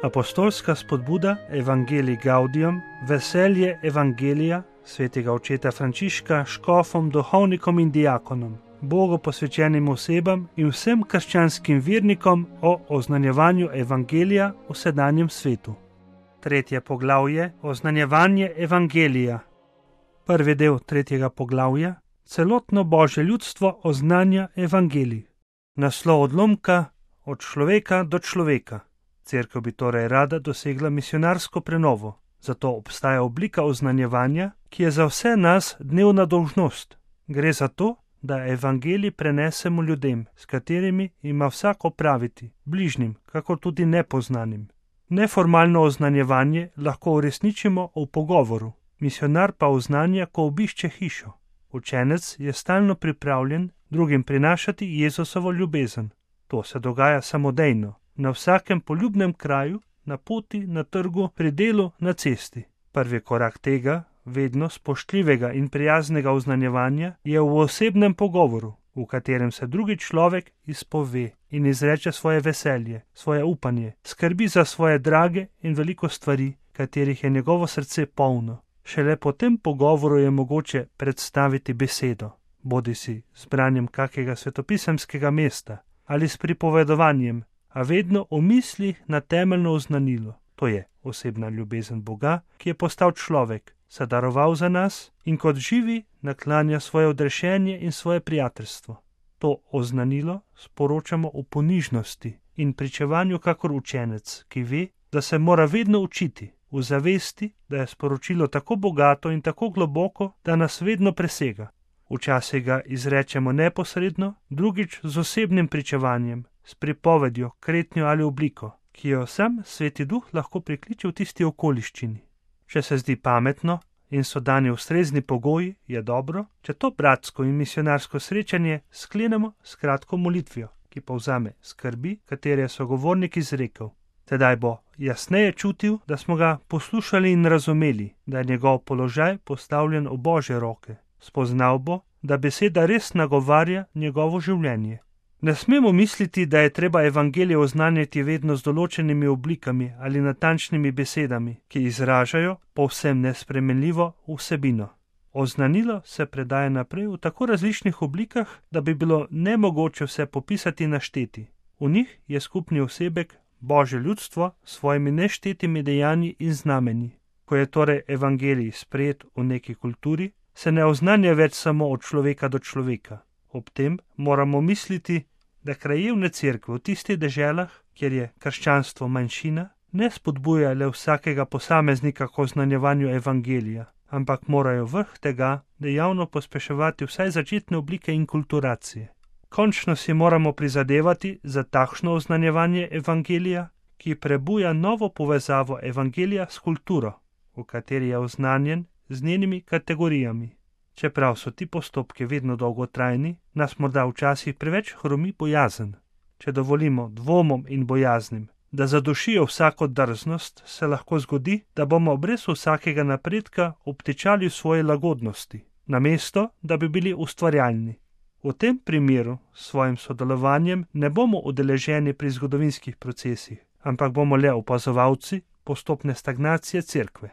Apostolska spodbuda Evangelii Gaudium, veselje Evangelija svetega očeta Frančiška škofom, duhovnikom in diakonom, Bogu posvečenim osebam in vsem krščanskim vernikom o oznanjevanju Evangelija v sedanjem svetu. 3. poglavje Oznanjevanje Evangelija. Prvi del 3. poglavja Celotno Božje ljudstvo oznanja Evangelij. Naslov odlomka Od človeka do človeka. Cerkev bi torej rada dosegla misionarsko prenovo, zato obstaja oblika oznanjevanja, ki je za vse nas dnevna dolžnost. Gre za to, da evangelij prenesemo ljudem, s katerimi ima vsak opraviti, bližnjim, kakor tudi nepoznanim. Neformalno oznanjevanje lahko uresničimo v pogovoru, misionar pa oznanja, ko obišče hišo. Učenec je stalno pripravljen drugim prinašati Jezusovo ljubezen. To se dogaja samodejno, na vsakem poljubnem kraju, na poti, na trgu, pri delu, na cesti. Prvi korak tega, vedno spoštljivega in prijaznega oznanjevanja, je v osebnem pogovoru, v katerem se drugi človek izpove in izreče svoje veselje, svoje upanje, skrbi za svoje drage in veliko stvari, katerih je njegovo srce polno. Šele po tem pogovoru je mogoče predstaviti besedo, bodisi z branjem kakega svetopisemskega mesta ali s pripovedovanjem, a vedno v mislih na temeljno oznanilo, to je osebna ljubezen Boga, ki je postal človek, se daroval za nas in kot živi naklanja svoje odrešenje in svoje prijateljstvo. To oznanilo sporočamo v ponižnosti in pričevanju kakor učenec, ki ve, da se mora vedno učiti, v zavesti, da je sporočilo tako bogato in tako globoko, da nas vedno presega. Včasih ga izrečemo neposredno, drugič z osebnim pričevanjem, s pripovedjo, kretnjo ali obliko, ki jo sam Sveti Duh lahko prikliče v tisti okoliščini. Če se zdi pametno in so dani ustrezni pogoji, je dobro, če to bratsko in misionarsko srečanje sklenemo s kratko molitvijo, ki povzame skrbi, katere je sogovornik izrekel. Tedaj bo jasneje čutil, da smo ga poslušali in razumeli, da je njegov položaj postavljen v Božje roke. Spoznal bo, da beseda res nagovarja njegovo življenje. Ne smemo misliti, da je treba evangelije oznanjati vedno z določenimi oblikami ali natančnimi besedami, ki izražajo povsem nespremenljivo vsebino. Oznanilo se predaja naprej v tako različnih oblikah, da bi bilo nemogoče vse popisati in našteti. V njih je skupni osebek Božje ljudstvo s svojimi neštetimi dejanji in znamenji. Ko je torej evangelij sprejet v neki kulturi, se ne oznanja več samo od človeka do človeka. Ob tem moramo misliti, da krajevne cerkve v tistih deželah, kjer je krščanstvo manjšina, ne spodbuja le vsakega posameznika k oznanjevanju evangelija, ampak morajo vrh tega dejavno pospeševati vsaj začetne oblike inkulturacije. Končno si moramo prizadevati za takšno oznanjevanje evangelija, ki prebuja novo povezavo evangelija s kulturo, v kateri je oznanjen z njenimi kategorijami. Čeprav so ti postopki vedno dolgotrajni, nas morda včasih preveč hromi bojazen. Če dovolimo dvomom in bojaznim, da zadušijo vsako drznost, se lahko zgodi, da bomo brez vsakega napredka obtičali v svoje lagodnosti, namesto da bi bili ustvarjalni. V tem primeru s svojim sodelovanjem ne bomo udeleženi pri zgodovinskih procesih, ampak bomo le opazovalci postopne stagnacije cerkve.